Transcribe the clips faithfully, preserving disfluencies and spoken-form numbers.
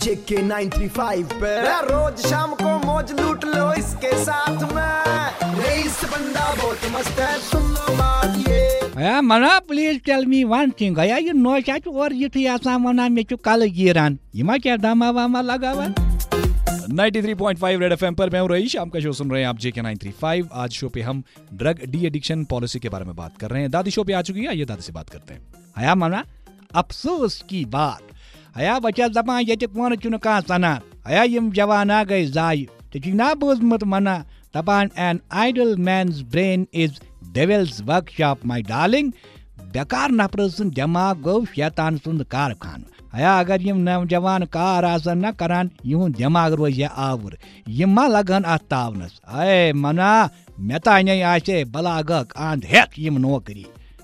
JK nine three five पे रोज शाम को मौज लूट लो इसके साथ में। रईस बंदा बहुत मस्त है, सुन लो बात ये। ہیا منا، please tell me one thing. ہیا، یہِ نوشہ چھُ اورٕ یِتھُے آسان ونان، مےٚ چھُ کلہٕ گیٖران۔ یہِ ما کیٛاہ دما وما لگاوان؟ Ninety three point five Red F M پر میں ہوں رئیس۔ شام کا شو سن رہے ہیں آپ جے کے نائن تھری فائیو۔ آج شو پہ ہم ڈرگ ڈی ایڈکشن پالیسی کے بارے میں بات کر رہے ہیں۔ دادی شو پہ آ چکی ہے، آئیے دادی سے بات کرتے ہیں۔ ہیا منا، افسوس کی بات۔ ہیا بہٕ چھَس دپان، ییٚتہِ کونہٕ چھُنہٕ کانٛہہ سنان۔ ہیا یِم جوانا گٔے ضایع۔ ژےٚ چھُے نا بوٗزمُت ونان، دپان، an idle man's brain is devil's workshop, my darling. بیکار نفرٕ سُنٛد دٮ۪ماغ گوٚو شیطان سُنٛد کارخانہٕ۔ ہیا اگر یِم نوجوان کار آسن نہ کران، یِہُنٛد دٮ۪ماغ روزِ ہا آوُر۔ یِم ما لگن اتھ تاونس؟ اے منا، مےٚ تانے آسہِ ہے بلاغک اند ہیتھ یِم نوکری۔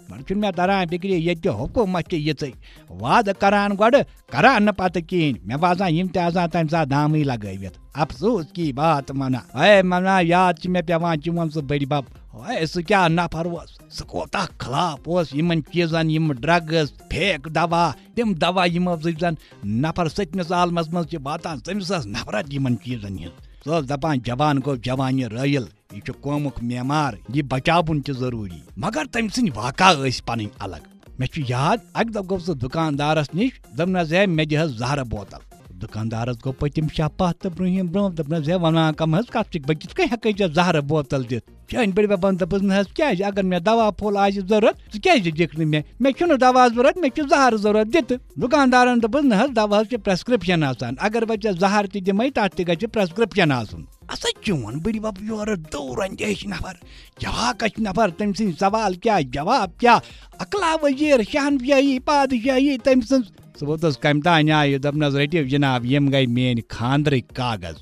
وۄنۍ چھُنہٕ مےٚ تران فکرِ، ییٚتہِ حکومت چھِ یِژٕے وعدٕ کران گۄڈٕ، کران نہٕ پتہٕ کِہیٖنۍ۔ مےٚ باسان یِم تہِ آسان تمہِ ساتہٕ دامٕے لگٲوِتھ۔ افسوس کی بات منا۔ اے منا، یاد چھِ مےٚ پٮ۪وان چون سُہ بٔڈِ بب۔ اے سُہ کیٛاہ نفر اوس، سُہ کوتاہ خلاف اوس یِمن چیٖزن، یِم ڈرگز، فیک دوا، تِم دوا یِمو سۭتۍ زن نفر سٔتمِس عالمس منٛز چھِ واتان، تٔمِس ٲس نفرت یِمن چیٖزن ہٕنٛز۔ سُہ اوس دپان، جوان گوٚو جوانہِ رٲیِل، یہِ چھُ قومُک معمار، یہِ بچاوُن تہِ ضروٗری۔ مگر تٔمۍ سٕنٛدۍ واقعہ ٲسۍ پنٕنۍ الگ۔ مےٚ چھُ یاد، اکہِ دۄہ گوٚو سُہ دُکاندارس نِش، دوٚپنس، ہے مےٚ دِ حظ زہرٕ بوتل۔ دُکاندارس گوٚو پٔتِم شاہ پتھ تہٕ برٛونٛہِم برٛونٛہہ، دوٚپنس، ہے ونان کم حظ کتھ چھِ، بہٕ کِتھ کٔنۍ ہٮ۪کہٕ ژےٚ زہرٕ بوتل دِتھ؟ چٲنۍ بٔڈۍ ببن دوٚپُس، نہ حظ کیٛازِ؟ اگر مےٚ دوا پھوٚل آسہِ ضروٗرت، ژٕ کیٛازِ دِکھ نہٕ مےٚ؟ مےٚ چھُنہٕ دوا ضروٗرت، مےٚ چھُ زہرٕ ضروٗرت، دِ تہٕ۔ دُکاندارن دوٚپُس، نہ حظ، دواہس چھِ پرٛسکرپشن آسان، اگر وۄنۍ ژےٚ زہر تہِ دِمے، تتھ تہِ گژھِ پرٛسکرپشن آسُن۔ اسا چون بٔڈِ بب یورٕ دوٗر اندیش نفر، جواکش نفر، تٔمۍ سٕنٛدۍ سوال کیٛاہ، جواب کیٛاہ؟ اقلا وزیر، شہنشاہی، پادشاہی تٔمۍ سٕنٛز۔ سُہ ووتُس کمہِ تام نیایہِ، دوٚپنس، رٔٹِو جناب، یِم گٔے میٲنۍ خانٛدرٕکۍ کاغذ۔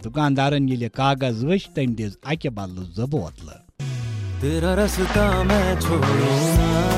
دُکاندارن ییٚلہِ کاغذ وٕچھ، تٔمۍ دِژ اکہِ بدلہٕ زٕ بوتلہٕ۔ तेरा रास्ता मैं छोड़ू ना।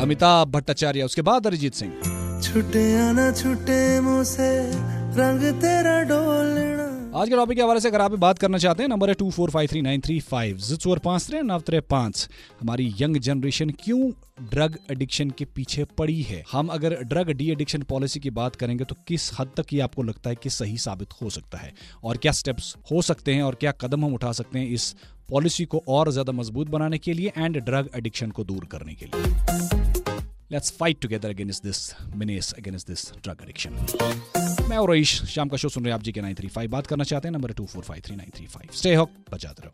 अमिताभ भट्टाचार्य, उसके बाद अरिजीत सिंह। छुटे या ना छुटे मुझसे रंग तेरा डोलना। आज के टॉपिक के हवाले से अगर आप भी बात करना चाहते हैं, नंबर है two four five three nine three five. زٕ ژور پانٛژھ ترٛےٚ نَو ترٛےٚ پانٛژھ۔ हमारी यंग जनरेशन क्यों ड्रग एडिक्शन के पीछे पड़ी है? हम अगर ड्रग डी एडिक्शन पॉलिसी की बात करेंगे तो किस हद तक ये आपको लगता है कि सही साबित हो सकता है, और क्या स्टेप्स हो सकते हैं और क्या कदम हम उठा सकते हैं इस पॉलिसी को और ज्यादा मजबूत बनाने के लिए एंड ड्रग एडिक्शन को दूर करने के लिए? Let's fight together against this menace, against this drug addiction. मैं और रईस, शाम का शो सुन रहे हैं आप जी के नाइन थ्री फाइव। बात करना चाहते हैं, number two four five three nine three five. Stay hook, बजाते रहो।